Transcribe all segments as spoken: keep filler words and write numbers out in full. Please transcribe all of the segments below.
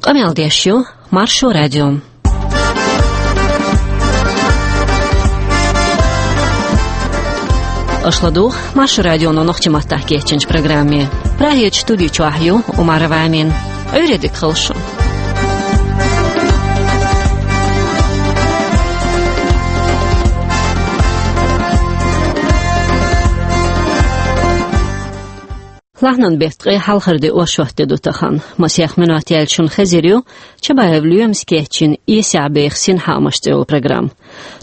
Къамел деш ю Маршо радио. Аша ладугӀу Маршо радионо нохчийн маттахь кечйинчу программе. Прагерчу студи чохь ю Умарова Амина. Ӏуьйре дика хуьлда шун. Лахьанан беттан ткъе хьалхара де оршот де ду тахана. Масех минот яьлча шуна хезар ю Чабаев Лоьмас кечйина «Эсехь беха синхаамаш» цӀе йолу программа.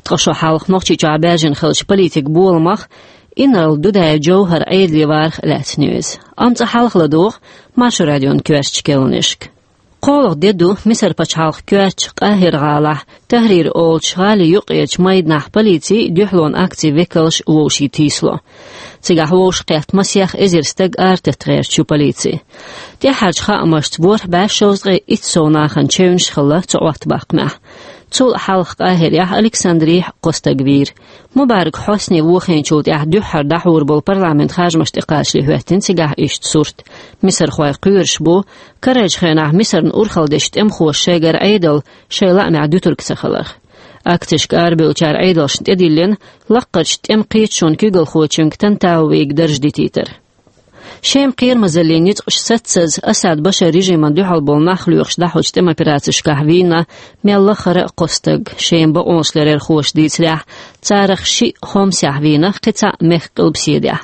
Ткъа шо хьалха Нохчийчохь баьржина хиллачу политикан боламах инарла Дудаев Джовхьар Ӏедале варах лаьцна ю иза. Амма цкъа хьалха ладугӀу Маршо радион коьртачу керланашка. КхоалгӀа де ду Мисар пачхьалкхан коьртачу Къахьира-гӀалахь Тахьрир олучу гӀалин юккъерчу майданахь полици а, дуьхьалонан акцин векалш а вовшийн тийсало. Цигахь вовшахкхетта масех эзар стаг арататта гӀерташ ю полици. ТӀаьххьарчу хаамашца ворхӀ бӀе шовзткъе итт сов нахана чевнаш хилла цу Ӏоттабаккхамехь. Цул а хьалха Къахьирехь, Александрехь кхо стаг вийра. Мубарак Хьосни вохийначул тӀаьхьа дуьххьара дӀахьур болу парламентан харжамаш тӀекхачале хӀоьттина цигахь иштта сурт. Мисархой кхоьруш бу карарчу хенахь Мисарна урхалла дечу тӀемахоша шайгара Ӏедал шайн лаамехь дуьтург ца хиларх. Акцешка арабевллачара Ӏедалшна тӀедиллина лаккхарчу тӀеман кхеташонан куьйгалхочуьнга Тантавига дарж дитийтар. Шеман кхерамазаллин ницкъаш сацаза Асад Башар режимана дуьхьал болу нах лоьхуш дӀахьочу тӀеман операцешкахь вийна мел лахара а кхо стаг. Шеман бакъонашларъярхоша дийцарехь, царах шиъ Хомсехь вийна, кхин цхьаъ Мехк-къилбаседехь.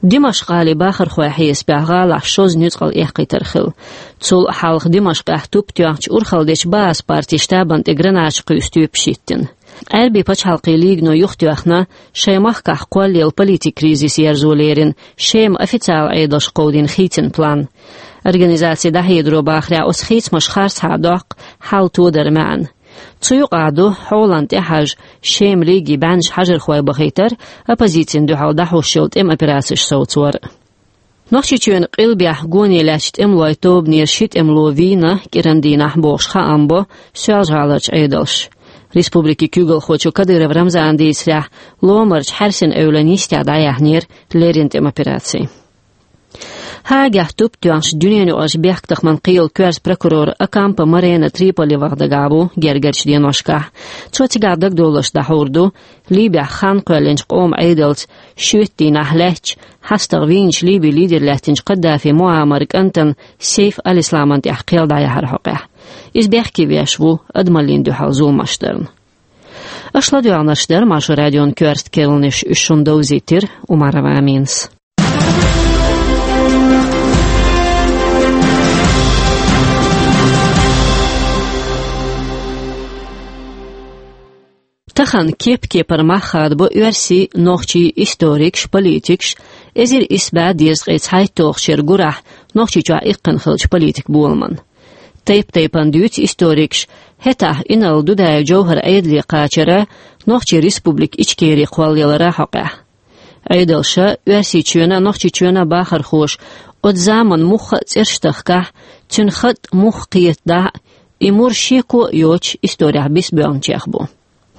Димашкъ-гӀалин бахархойн хьесапехь гӀалахь шозза нуьцкъала эккхийтар хилла. Цул а хьалха Димашкъехь туп тоьхначу урхалла дечу Баъс партин штабана тӀе гранаташ кхуьйсу тоьпаш хӀиттина. Ӏаьрбийн пачхьалкхийн лигано юхатоьхна шайн махкахь кхоллаелла политикан кризис ерзо лерина Шеман официалан Ӏедалша кховдийна хийцин план. Организацин дӀахьедаро бахарехь, оцу хийцамаша харцахьа доккху хьал тодар маьӀна. Цу юкъахь ду хьолан тӀехьажа Шеман лигин бӀеннаш хьажархой бахийтар а, оппозицина дуьхьал дӀахьош йолу тӀеман операцеш совцор а. Нохчийчоьнан къилбехь гоне лаьттачу тӀемалойн тобанера ши тӀемало вийна кӀиран дийнахь бохуш хаам бо Соьлжа-ГӀаларчу Ӏедалша. Республикин куьйгалхочо Кадыров Рамзана дийцарехь, ломарчу Хьаьрсин эвлан йистехь дӀаяьхьнера леррина тӀеман операци. Хаагехь туп тоьхначу дуьненаюкъарчу бехктакхаман кхелан коьртачу прокурор Окампо Морено Триполи ваха дагахь ву гергарчу деношкахь. Цо цигахь дагадовларш дӀахьур ду Ливехь хан кхоьллинчу къоман Ӏедалца шоьтан дийнахь лаьттачу хьастагӀа вийначу Ливин лидер лаьттинчу Каддафи Муаммаран кӀантана Сейф аль-Исламана тӀехь кхел дӀаяхьар хьокъехь. Иза бехке веш ву адамаллина дуьхьал зуламаш дарна. Аша ладоьгӀнарш дара Маршо радион коьртачу керланаш, уьш шуна довзийтира Умарова Аминас. Тахана кеп-кепара мах хадабо оьрсийн, нохчийн историкаш, политикаш, эзар исс бӀе дезткъе цхьайтталгӀачу шеран гурахь Нохчийчохь иккхина хиллачу политикан боламан. Тайп-тайпана дуьйцу историкаш хӀетахь инарла Дудаев Джовхьар Ӏедале кхачар а, Нохчийн Республика Ичкери кхоллаялар а хьокъехь. Ӏедалша, Оьрсийчоьнан а, Нохчийчоьнан а бахархоша оцу заманан муьлхха а цӀераш тахкахь, цуьнан хатӀ муьлхха кхетадахь а, и мур шеко а йоцуш, исторехь биса боьлхначех бу.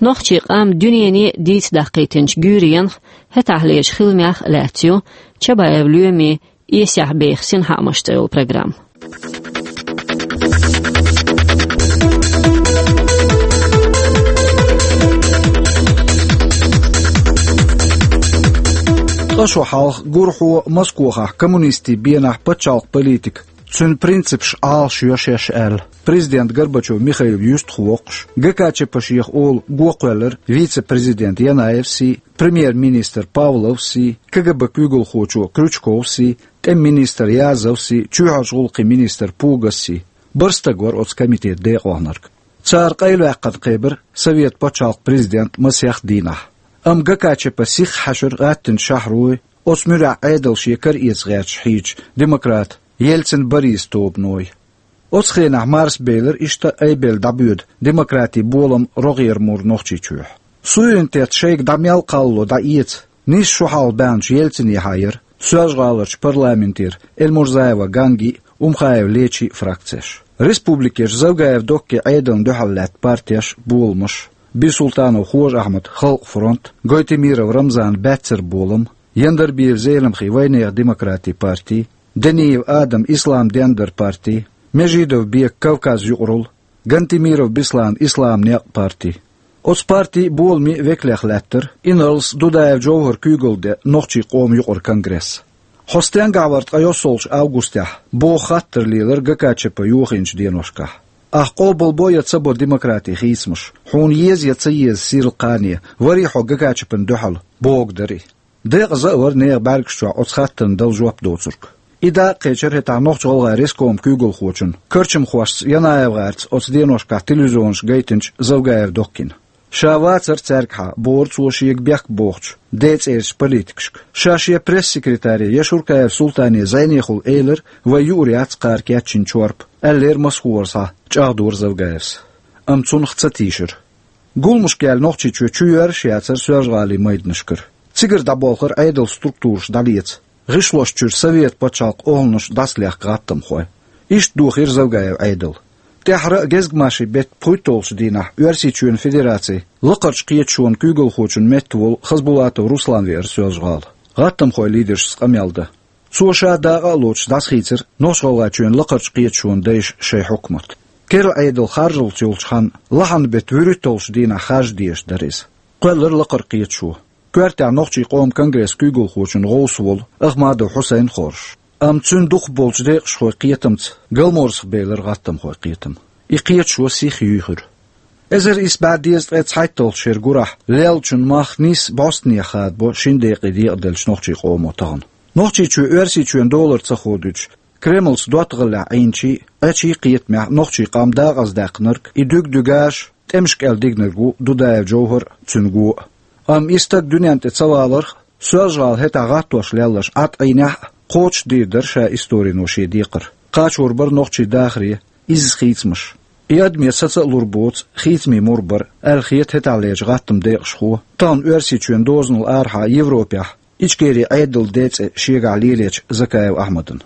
Нохчийн къам дуьнене дийца даккхийтинчу гуьйренах, хӀетахьлерчу хиламех а лаьцна ю Чабаев Лоьмин «Эсехь беха синхаамаш» цӀе йолу программа. Ткъа шо хьалха гурхьо Москохахь коммунистийн бенахь пачхьалкхан политика, цуьнан принципаш Ӏалашйо шаьш аьлла, президент Горбачев Михаил юьстах воккхуш, ГКЧП-шех олу го кхоьллира вице-президент Янаевсий, премьер-министр Павловсий, КГБ куьйгалхочо Крючковсий, тӀеман министр Язовсий, чоьхьарчу гӀуллакхийн министр Пугассий. Барх стаг вара оцу комитетан декъалхьанарг. Цара къайлаваьккхина кхебира Совет пачхьалкхан президент масех дийнахь. Амма ГКЧП сихха хьаьшира гӀаттина шахьарой, оцу муьрехь Ӏедал шен кара эца гӀерташ хьийзачу демократ Ельцин-Борис тобаной. Оцу хенахь марсабелира иштта айбелла дӀабоьду демократин болам рогӀера мур Нохчийчохь. Суверенитет шайга дӀа мел кхаллало дӀаэца, нийсса шо хьалха баьхначу Ельцинехьа яра Соьлжа-ГӀаларчу парламентера Эльмурзаева Ганги а, Умхаев Лечи а фракцеш. Республикерчу Завгаев Доккин Ӏедална дуьхьал лаьтта партеш а, боламаш а: Бийсултанов Хож-Ахьмадан Халкъан фронт, Гойтемиров Рамзанан Баьццара болам, Яндарбиев Зелимхан Вайнехан демократийн парти, Даниев Адаман Ислам-дендара парти, Межидов Бека Кавказ юкъаралла, Гантемиров Беслана Ислам некъа парти. Оцу парти а, боламийн а векалех лаьттара, инарлас Дудаев Джовхар куьйгалла де нохчийн къоман юкъара конгресс. Хьо стенгахь вара ткъе йоьссалгӀачу августехь, боху хаттар лелара ГКЧП йохийначу деношкахь. Ахь къобалбо я ца бо демократин хийцамаш, хьуна еза я ца еза сирла кхане, варий хьо ГКЧП-на дуьхьал, бохург дара и. Декъаза а вара нехан бӀаьргаш чохь оцу хаттарна дала жоп доцург. И дакъа кхечира хӀетахь Нохч-ГӀалгӀайн рескоман куьйгалхочун, карчамхошца Янаев-гӀарца оцу деношкахь телевизионашка гайтинчу Завгаев Доккина. Ша вацара цаьргахьа, бохура цо шега бехк бохучу, ден цӀерачу политикашка. Ша шен пресс-секретаре Яшуркаев Султане зӀенехула элира, вай юур яц кхара кечйина чорпа, аьллера масхара схьа, чӀагӀдора Завгаевс. Амма цунах ца тийшира. Гуламашка яьлла Нохчийчоь чу йоьрзуш яцара Соьлжа-ГӀалин майданашкара. Цигара дӀаболхура Ӏедалан структураш дӀалеца, гӀишлошчуьра Совет пачхьалкхан охӀланаш дӀасалехка гӀаттамхой. Иштта дохийра Завгаев Ӏедал. ТӀаьххьара а гезгмашин беттан пхуьйтталгӀачу дийнахь Оьрсийчоьнан Федерацин Лакхарчу кхеташонан куьйгалхочун метта волу Хасбулатов Руслан веара Соьлжа-ГӀала. ГӀаттамхойн лидершца къамел дан. Цо ша дакъа а лоцуш дӀасахийцира Нохч-ГӀалгӀайчоьнан Лакхарчу кхеташонан дайша шайн хьукмат. Керла Ӏедал харжалц йолчу ханна, лахьанан беттан вуьрхӀитталгӀачу дийнахь харжа дезаш дара иза. Кхоьллира Лакхара кхеташо. Коьртехь Нохчийн къоман конгрессан куьйгалхочун гӀовс волу Ахмадов Хьусайн хоржуш. Амма цуьнан дукхахболчу декъашхойн кхетамца Галморзахь белира гӀаттамхойн кхетам. И кхеташо сиха юьйхира. Эзар исс бӀе дезткъе цхьайтталгӀачу шеран гурахь леллачун мах нийсса бӀостанехьа хадабо шина декъе декъаделлачу нохчийн къомо тахана. Нохчийчоь Оьрсийчоьнан долара ца ходуьйтуш, Кремлца доттагӀаллехь Ӏийначийн а, Ӏечийн а кхетамехь нохчийн къам дакъаздаьккхинарг, и дуьгу-дуьгаш тӀемаш кӀел дигнарг ву Дудаев Джовхар а, цуьнан го а. Амма и стаг дуьнен тӀе ца валарх а, Соьлжа-ГӀала хӀетахь гӀаттош лелларш Ӏад Ӏийнехь а, кхочушдийр дара ша историно шен декхар. Кхачор бара нохчийн дахаре, изза хийцамаш. И адаме саца а лур боцу хийцамийн мур бара, аьлла хета хӀетахьлерчу гӀаттаман декъашхо, тахана Оьрсийчоьнан дозанал арахьа Европехь Ичкерин Ӏедалан ден цӀе шегахь лелечу Закаев Ахьмадана.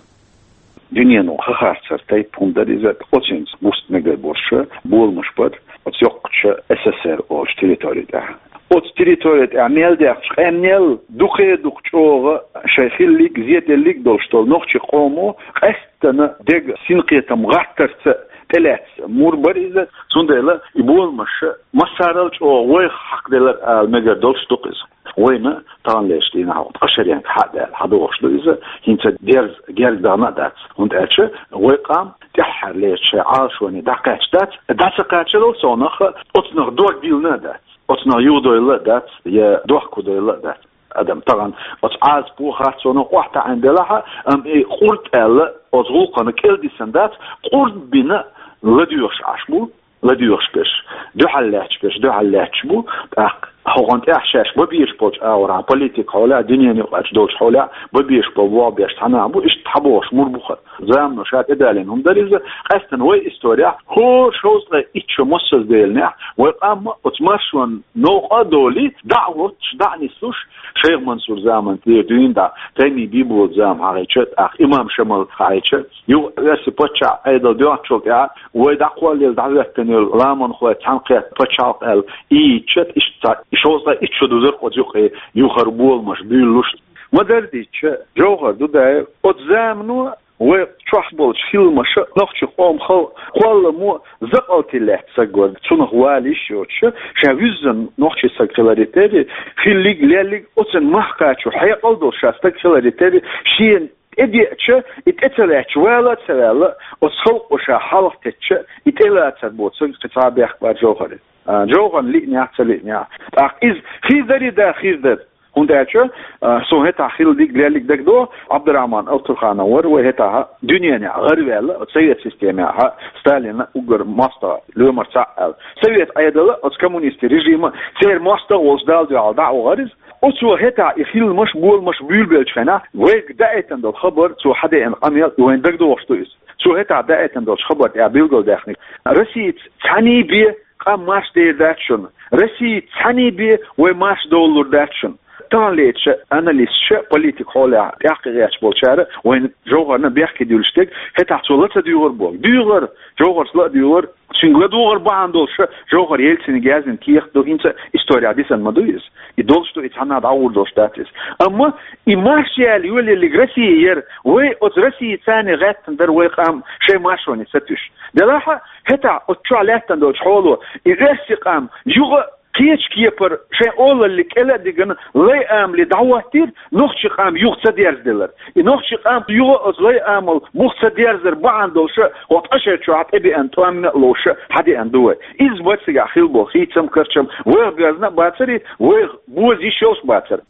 Дуьнено хан харцар тайпа хӀума дара иза, оцуьнца буста мегар болуш боламаш бара оцу йоккхачу СССР олучу территори тӀехь. Оцу территори тӀехь мел даьхначу къаьмнел дукха-дукха чӀогӀа шайн хиллиг, зеделлиг долуш долу нохчийн къомо къаьсттина дега синкхетам гӀаттарца тӀелаьцна мур бара иза, цундела и боламаш массарал чӀогӀа вайх хьакхаделира ала мегар долуш ду-кх иза. Вайна таханлерчу дийнахь ткъа шаренга хьа а даьлла, хьадогӀуш ду иза, хӀинца дерза герга дахана а дац, хӀунда аьлча вай къам тӀаьххьарлерчу шайн Ӏалашоне дӀакхаьчна дац, дӀа ца кхачарал совнаха оцунах дог диллина а дац, оцунах юхадойла а дац, я дохко дойла а дац. Адам тахана оцу Ӏазапо харцоно охьатаьӀна делахь а, амма и къурд аьлла оцу гӀуллакхана кӀел дисина дац, къурд бина ладоьгӀуш Ӏаш бу, ладоьгӀуш берш, дуьхьал лаьтташ берш, дуьхьал лаьтташ бу, тӀаккха хӀокхунна тӀехь шаьш бан безаш болчу агӀорхьа политика хьолехь, дуьненан юкъарчу долчу хьолехь бан безаш болу болх беш цхьаьна а бу, иштта хьабогӀуш мур бу хӀара. Замано ша тӀедалийна хӀума дара иза, къаьсттина вай историяхь хӀора шовзткъе итт шо массаза делахь, вай къам оцу маршонан новкъа а долий, дӀа а воттуш, дӀа а нислуш, Шайх Мансур заман тӀера дуьйна дӀа, Таймин Бийболат зама хьахийча, тӀаккха Имам Шамал хьахийча, юха Оьрсийн паччахьан Ӏедал доьгӀначул тӀаьхьа вай дӀакхоллаелла дӀахӀоьттина йолу ламанхой цхьаьнакхетта пачхьалкх аьлла ийцича, иштта ца, и шовзткъе итт шо дузара-кх оцу юкъе юхара боламаш буьйлалуш. Ма-дарра дийцича, Джовхар Дудаев оцу замано вай чохь болчу хиламаша нохчийн къоман халкъан кхолламо закъалтий лаьтта саг вара, цунах вала йиш йоцуша, ша вуьззина нохчийн саг хиларе терра, хиллиг, леллиг, оцунна мах кхачо хьекъал долуш ша стаг хиларе терра, шена тӀедеача, и тӀе ца лаьтташ вала а ца ваьлла, оцу халкъо ша хьалха теттача, и тӀелацар боцург кхин цхьа а бехк бара Джовхаран. А, Джовхарна лиънехь а, ца лиънехь а. ТӀаккха иза хир дарий, да, хир дара. ХӀунда аьлча, а, суна хӀетахь хиллиг, леллиг дагадогӀу, Ӏабдурахьман Алтурханов вара вай хӀетахь дуьненехь гӀараваьлла, оцу совет системехь, Сталинан уггар мостагӀа, лоьмар цхьаъ аьлла. Совет Ӏедала, оцу коммунистийн режима церан мостагӀ а волуш Далла дуьхьал дӀа а вахара иза. Оцо хӀетахь и хиламаш, боламаш буьйлабеллачу хенахь, вайга даийтина долу хабар, цо хьадеана къамел, вайна дагадогӀуш ду иза. Цо хӀетахь даийтина долчу хабар тӀехь билгалдаьккхинарг: Россица цхьаьний бен къам марша дер дац шуна. Россица цхьаьний бен вай марша довлалур дац шуна. Таханлерчу аналисташа, политика хьолехь тӀаьхьа кхин гӀерташ болчара вайна Джовхарна бехке дуьллуш дерг, хӀетахь цо ла ца дуьйгӀура боху. ДуьйгӀура, Джовхарс ла а дуьйгӀура, Цуьнга ладугӀар бахьана долуш Жовхар Ельцинга яздина кехат ду, хӀинца исторехь дисина ма ду иза. И долуш ду, и цхьанна а дӀагӀур долуш дац иза. Амма и марша яьлла йолаеллиг Россия яра, вай оцу Россица гӀаьттина дара вай къам шайн маршоне сатуьйсуш. Делахь а, хӀетахь оцу чохь лаьттина долчу хьоло и оьрсийн къам юха кхечу кепара шайн олалле кӀела а дигна, лай амале дӀахӀоттийра, нохчийн къам юха ца дерзаделира. И нохчийн къам юха оцу лай амал бух ца дерзар бахьана долуш а, хӀокху ткъа шарчохь тӀебеана тӀома а ловш а хьадеана ду вай. Иза бацигахь хилла болу хийцам, карчам вайх боьзна а бацара, вайх боза йиш йолуш а бацара.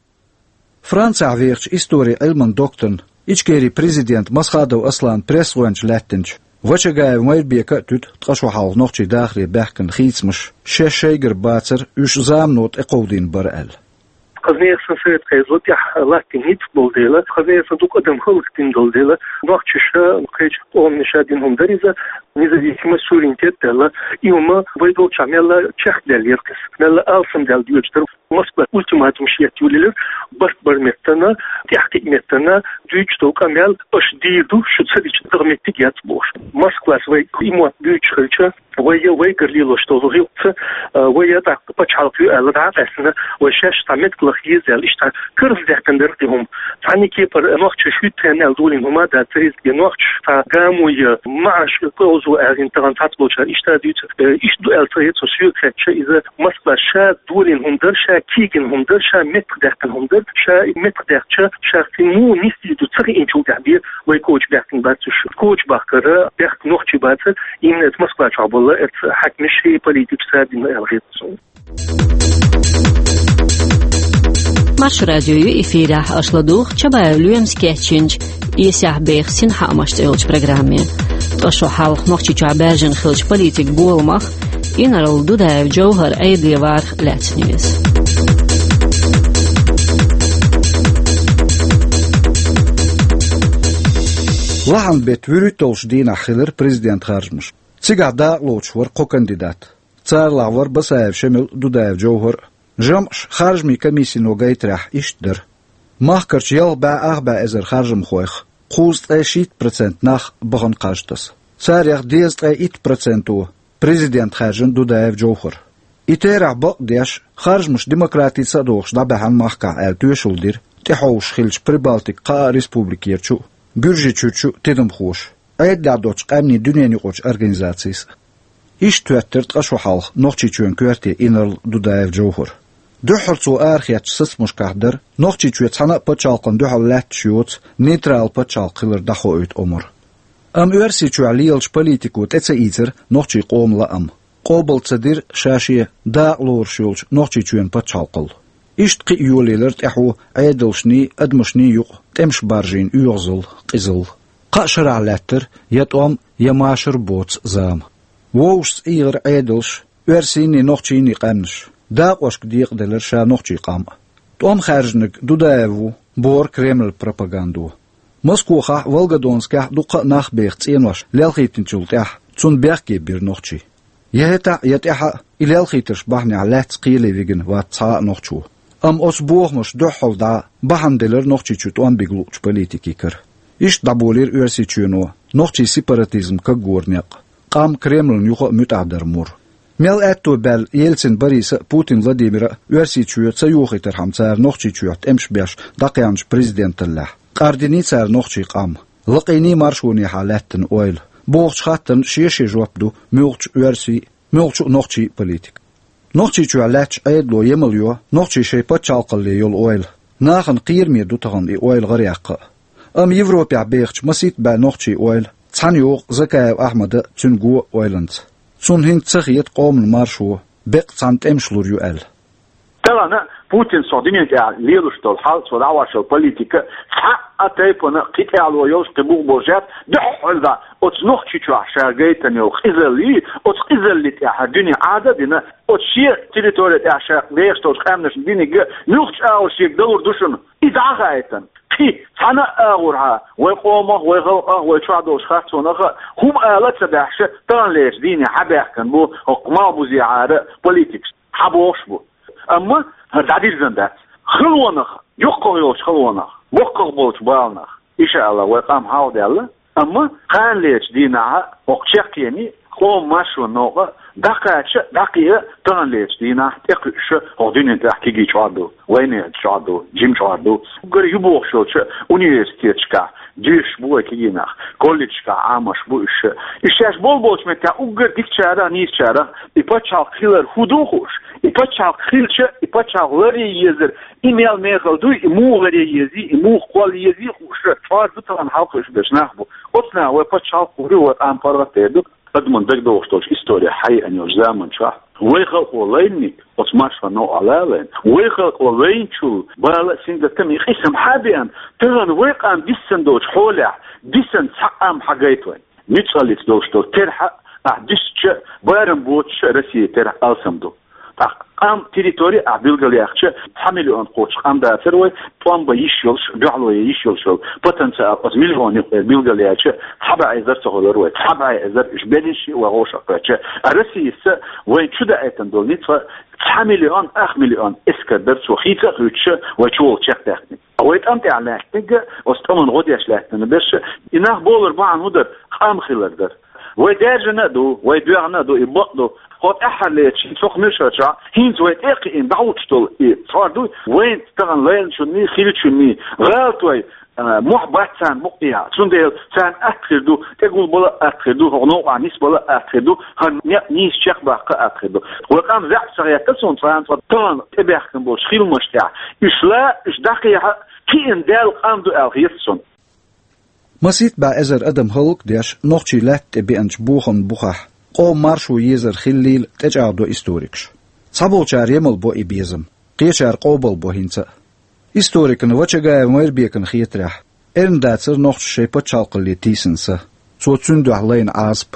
Францехь вехачу историн Ӏилман докторна, Ичкерин президент Масхадов Аслан пресс-гӀоьнча лаьттинчу Вачагаев Майрбека а туьду ткъа шо хьалха нохчийн дахаре баьхкина хийцамаш шаьш шайгара бацара, уьш замано тӀекховдийна бара аьлла. Кхазнехан совет хьайзо тӀехь латтийна ницкъ болу дела, кхазнехан дукха адам хӀаллакдина долу дела, нохчаша кхечу къомаша дина хӀума дара иза, независимость, суверенитет даьлла, и хӀума вай долчохь мелла чекхдаьлла яра кхуза, мелла алсамдаьлла доьдуш дара. Москва ультиматум шетта йолаелира, барт бар меттана, тӀаьхьакхиъ меттана, дуьйцуш долу къамел аша дийр ду, шу ца дича дагахь меттиг яц бохуш. Москвас вай и мотт дуьйцуш хилча, вай я вайгара лелош долу гӀиллакхца, а, вай я тӀаккха пачхьалкх ю аьлла дӀа а къаьстина, вай шаьш цхьа меттиг лаха еза аьлла, иштта карзадаьккхина дара и хӀума. Цхьана кепара нохчаша хӀуьтту хенна аьлла долийна хӀума а дац иза, я нохчаша цхьа гамо я маӀаш кхозо аьлла тахана цхьаболчара иштта дуьйцу, э, иштта ду аьлла ца хета, со соьга хаьттича, иза Москва ша долийна хӀума дара, ша кегийна хӀума дара, ша меттахдаьккхина хӀума дара, ша меттахдаьккхича, ша цуьнан муха нисдийр ду ца хиъначул тӀаьхьа бен вай коча баьхкина бац уьш. Коча бахкара бехк нохчий бацара, именно эца Москва чохь болу эца хьаькамаш, политикаш цара дина аьлла хета суна. Маршо радио ю эфирехь, аша ладугӀу Чабаев Лоьмас кечйинчу «Эсехь беха синхаамаш» цӀе йолчу программе. Ткъа шо хьалха Нохчийчохь баьржина хиллачу политикан боламах, инарла Дудаев Джовхар Ӏедале варах лаьцна ю иза. Лахьан беттан вуьрхӀитталгӀачу дийнахь хилира президент харжамаш. Цигахь дакъалоцуш вара кхо кандидат. Царалахь вара Басаев Шемал а, Дудаев Джовхар а. ЖамӀаш харжамийн комиссино гайтарехь иштта дара. Махкарчу ялх бӀе ах бӀе эзар харжамхойх кхузткъе шийтта процент нах бахана кхаж таса. Царех дезткъе итт проценто президент хаьржина Дудаев Джовхар. И терахь бакъдеш, харжамаш демократица а дохуш дӀабаьхьна махкахь аьлла тоьшалла дира тӀехьовсуш хиллачу Прибалтикан кхаа республикерчу а, Гуьржийчуьрчу а тидамхоша, Ӏедалехь доцчу къаьмнийн дуьненаюкъарчу организацийс а. Иштта хӀоьттира ткъа шо хьалха Нохчийчоьнан коьрте инарла Дудаев Джовхар. Дуьххьара цо арахецначу сацамашкахь дара Нохчийчоь цхьана а пачхьалкхана дуьхьал лаьтташ йоцу нейтрал пачхьалкх хилар дӀахоуьйту омра. Амма Оьрсийчохь лелачу политико тӀе ца ийцира нохчийн къоман лаам, къобал ца дира ша шен дакъа лоруш йолчу Нохчийчоьнан пачхьалкхалла. Иштта кхин а йолаелира тӀаьхьо Ӏедалшний, адамашний юкъа тӀемаш баржийна оьгӀазалла, къизалла. Кхаа шарахь лаьттара я тӀом, я машар боцу зама. Вовшашца эгӀира Ӏедалш, оьрсийн а, нохчийн а къаьмнаш. Дакъошка декъаделира ша нохчийн къам а. ТӀом хаьржинарг Дудаев ву, бохура Кремлан пропагандо. Москохахь а, Волгодонскехь а дуккха а нах беха цӀенош лелхийтинчул тӀаьхьа цунна бехке бира нохчий. Я хӀетахь а, я тӀаьхьа а и лелхийтарш бахьанехь лаьцна кхеле вигина вац цхьа а нохчо. Амма оцу бохамаша дуьххьал дӀа бахьана делира Нохчийчу тӀом бига луучу политикийн кара. Иштта дӀаболийра Оьрсийчоьно нохчийн сепаратизм кагоран некъ, къам Кремлана юха а муьтӀахь дар мур. Мел аьтто баьлла Ельцин Бориса а, Путин Владимира а Оьрсийчоь ца йохийтархьама цара Нохчийчохь тӀемаш беш дӀакхаьхначу президенталлехь, къардиний цара нохчийн къам, лакхийний маршонехьа лаьттина ойла, бохучу хаттарна шен-шен жоп ду муьлххачу оьрсийн а, муьлххачу а нохчийн а политика. Нохчийчохь лаьттачу Ӏедало емал йо нохчийн шайн пачхьалкхалле йолу ойла. Нахана кхераме ду тахана и ойла гӀараяьккха а. Амма Европехь бехачу масийтта бӀе нохчийн ойла цхьаьна йогӀу Закаев Ахьмада а, цуьнан го а ойланца. Цунна хӀинца ца хета къоман маршо беккъа цхьаьна тӀемаш лур ю аьлла. Тахана Путина сов дуьнен тӀехь лелош долу хьал, цо дӀахьош йолу политика цхьа а тайпана кхин тӀаьхьало йолуш, кхин бух болуш яц, дуьххьара дӀа оцу Нохчийчохь ша гайтина йолу къизаллий, оцу къизаллин тӀехь дуьне Ӏада а дина, оцу шен территори тӀехь ша бехаш долчу къаьмнашна динарг муьлххачу агӀор шега далур ду шуна. И дӀа а хаийтина, кхин цхьана а агӀор хьа вай къомах, вай халкъах, вай чохь долчу харцонах а хӀума ала а ца баьхьаш, таханлерчу дийне хьабаьхкина бу хӀокху малхбузехьара политикаш. Хьабохуш бу. Амма хӀара дӀадирзина дац. Халонах, йоккхах йолчу халонах, боккхах болчу баланах, иншааллахӀ, вай къам хьалха даьлла. Амма кханалерчу дийнахьа хӀокху чаккхений, Къоман маршонан новкъа дӀакхача, дӀакхиа, таханлерча дийнахьа тӀекхуьуш хӀокху дуьнен тӀехь кегий чкъор ду, вайнехан чкъор ду, жима чкъор ду. Уггар ю бохуш йолчу университеташкахь доьшуш бу вай кегий нах, колледжашкахь Ӏамош бу уьш. Уьш шаьш болу болчу меттехь уггар дикачарах, нийсачарах и пачхьалкх хилар хӀун ду хууш, и пачхьалкх хилча, и пачхьалкх ларъян езар, и мел мехала дуй, и муха ларъян езий, и муха кхолла езий хууш, чкъор ду тахана хьалха уьш берш нах бу. Оцу наха вай пачхьалкх хир ю, вай къам паргӀат дер ду. Адамна дагадогӀуш долчу истори хьаеана йолчу заман чохь вай халкъо лайниг, оцу маршонан новкъахь лалийна, вай халкъо лайначул бала а, сингаттам а, и къийсам хьа а беана, тахана вай къам диссан долчу хьолехь, диссан цхьа къам хьагайта вайн. Ницкъаллица долуш долу терахь а, ахь дисча, барам боцуш а Россия терахь алсам ду. ТӀаккха къам, территори ахь билгалъяьхча, цхьа миллион кхочуш къам дацара вай, тӀом бан йиш йолуш, дуьхьало ян йиш йолуш йолу потенциал оцу миллионе билгалъяьлча, цхьа бӀе эзар ца хуьлура вай, цхьа бӀе эзар, уьш берриш а вай гӀошах кхоьттича. А Россияс вайн чу даийтина долу ницкъ цхьа миллион, ах миллион эскар дара цо хийца а хуьйцуш вай чу волу чекхдаьккхинарг. Вай тӀам тӀехь лаьттинарг, оцу тӀамна гӀо деш лаьттина берш, и нах бовлар бахьана хӀун дара, къам хилар дара. Вай даьржина а ду, вай доьгӀна а ду, и бакъ ду. Хьо тӀаьххьарлерчу цхьа муьршачохь хӀинца вай тӀе а кхиъна дӀахӀуттуш долу и чкъор ду, вайна тахана лайначунний, хиллачунний гӀалат вай, а, мохь бац царна букъ тӀехь. Цундела царна атта хир ду, тӀегулбала а атта хир ду, хӀокху новкъахь нисбала а атта хир ду, хӀара некъ нийса чекхбаккха а атта хир ду. Вай къам заьӀап ца хетта суна цкъа а, тахана тӀебаьхкина болчу хиламаш тӀехь уьш ла, уьш дӀакхехьа, кхиъна даьлла къам ду аьлла хета суна. Масийтта бӀе эзар адам хӀаллакдеш, нохчий лаьтта тӀе беанчу бохаман бухахь, къоман маршо езар хиллийла тӀечӀагӀдо историкаш. Цхьаболчара емал бо и безам, кхечара къобал бо хӀинца а. Историкана Вачагаев Майрбекана хетарехь, эрна дацара нохчаша шайн пачхьалкхалле тийсина са, цо цуьнан дуьхьа лайна Ӏазап.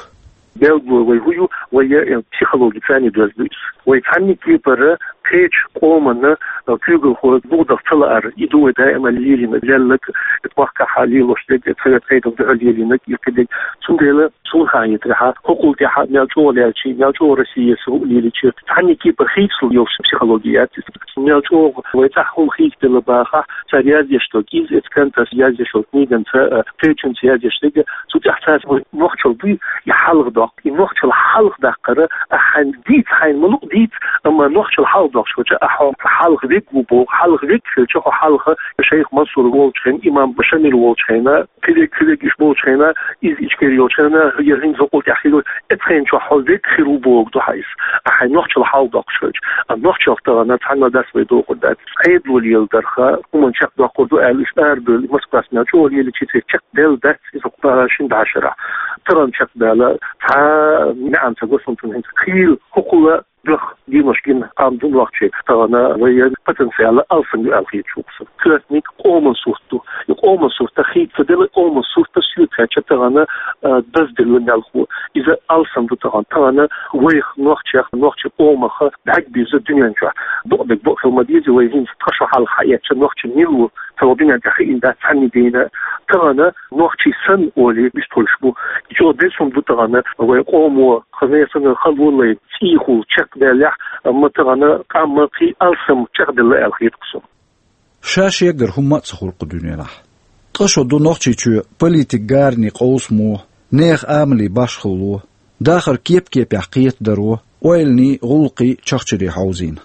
Белгало вай хӀун ю, вай, э, психологи царний доьзна ду иза. Вай цхьанна кепара кхечу къоманна, э, куьйгалхо буха даха ца лаар, и ду вай даима лелийнарг, лелларг, оцу махкахь лелош дерг, оцу совет къайдина дуьхьал лелийнарг, и кхидерг. Цундела суна хетарехь, хӀокхул тӀаьхьа мел чӀогӀа лелча, мел чӀогӀа Россия сов лелича, цхьанна кепара хийцалуш йолуш психологи яц иза. Мел чӀогӀа вай цӀахь хӀума хийцаделла бахахь, цара яздеш долу кӀиз, эцу кӀанташа яздеш долу книганца, э, кхечуьнца яздеш дерг, цу тӀехь цаьрца вай нохчалла дуй, и хьалха доккху. И нохчалла хьалха даккхар, ахь хьайна дийца, хьайна ма-луъу дийца, амма нохчалла хьалха доккхуш хилча, ахь хьо хьалха вег ву боху, хьалха вег хилча, хьо хьалха шайх Мансур волчу хенахь, имам Шамил волчу хенахь, кхидерг, кхидерг уьш болчу хенахь, иза Ичкери йолчу хенахь, я хӀинца хӀокхул тӀаьхьа хир йолу, эцу хенахь чохь хьо вег хир ву бохург ду хьан иза, ахь хьайн нохчалла хьалха доккхуш хилча. А нохчалла тахана цхьанна дас вай дохур дац. Ӏедало леладарх, хӀуманна чекхдоккхур ду аьлла, уьш арабевлла, Москвас мел чӀогӀа лелича, церан чекхдевлла дац иза кху шина бӀешарахь. Тахана чекхбаьлла, цхьа неӀан ца го суна цунна хӀинца. Хийла хӀокхул а бехк, денош гина къам ду нохчий, тахана вайн потенциал алсам ю аьлла хета суна. Коьртаниг къоман сурт ду. И къоман сурт хийца ца делла, къоман сурт соьца кхаьчча тахана, а, дазделла мелхо. Иза алсам ду тахана. Тахана вайх, нохчех, нохчийн къомах бӀаьрг бирза дуьнен чохь. Бакъдерг бакъ хила ма деза, вай хӀинца тхан шо хьалха хьаэцча нохчийн мила ву, цхьа вай дуьнен тӀехь хиъна дац цхьанна дийна. Тахана нохчий санна олий, вистхуьлуш бу. И чӀогӀа безам ду тахана вай къомо, хаза санна халонаш, цӀийхула чекхдаьллехь, амма тахана къам ма кхин алсам чекхделла аьлла хета суна. Ша шегара хӀумма а ца хуьлу кху дуьненахь. Ткъа шо ду Нохчийчоь политикан гаранийн къовсамо, нехан амалан башхалло, дахар кеп-кепехь кхетадаро, ойланийн, гӀуллакхийн чахчарийн хьовзийна.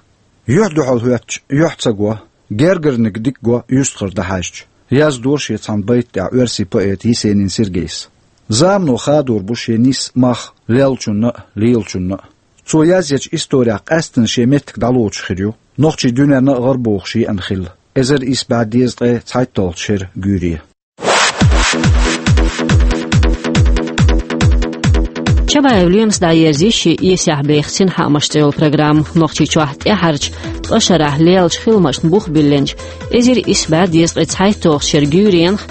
Юьхь-дуьхьал хӀоьттича, юьхь ца го, гергарниг дика го, юьстахара дӀахьаьжча, яздора шен цхьана байта тӀехь оьрсийн поэта Есенин Сергейс. Замано хадор бу шен нисса мах леллачунна а, лелачунна а. Цо язъечу исторехь къаьсттина шен меттиг дӀалоцуш хир ю нохчий дуьненна а гӀарабохуш еана хилла, эзар исс бӀе дезткъе цхьайтталгӀачу шеран гуьйре. Чабаев Лемас дӀаерзийра шен «Эсехь беха синхаамаш» цӀе йолу программа. Нохчийчохь тӀаьхьарчу ткъа шарахь леллачу хиламашна бух биллинчу эзар исс бӀе дезткъе цхьайтталгӀачу шеран гуьйренах,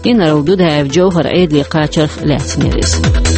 инарла Дудаев Джовхьар Ӏедале кхачарх лаьцна яра иза.